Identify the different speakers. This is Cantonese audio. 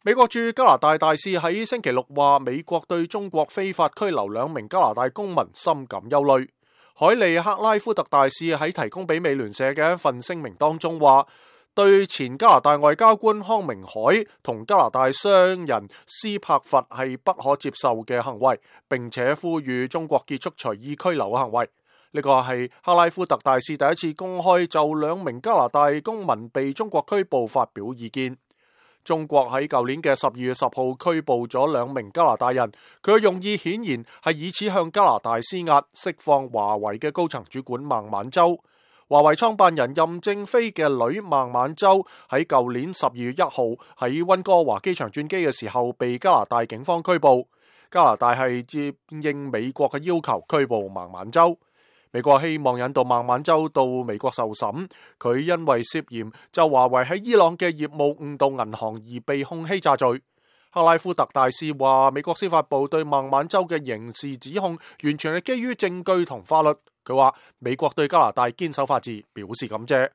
Speaker 1: 美國駐加拿大大使喺星期六話，美國對中國非法拘留2名加拿大公民深感憂慮。海利克拉夫特大使喺提供俾美聯社嘅一份聲明當中話，對前加拿大外交官康明凱同加拿大商人斯柏佛係不可接受嘅行為，並且呼籲中國結束隨意拘留嘅行為。呢個係克拉夫特大使第一次公開就2名加拿大公民被中國拘捕發表意見。中國喺舊年嘅12月10號拘捕咗2名加拿大人，佢嘅用意顯然係以此向加拿大施壓，釋放華為嘅高層主管孟晚舟。華為創辦人任正非嘅女孟晚舟喺舊年12月1號喺溫哥華機場轉機嘅時候被加拿大警方拘捕。加拿大係接應美國嘅要求拘捕孟晚舟。美國希望引渡孟晚舟到美國受審，佢因為涉嫌就華為喺伊朗嘅業務誤導銀行而被控欺詐罪。克拉夫特大使話，美國司法部對孟晚舟嘅刑事指控完全係基於證據同法律。佢話美國對加拿大堅守法治表示感謝。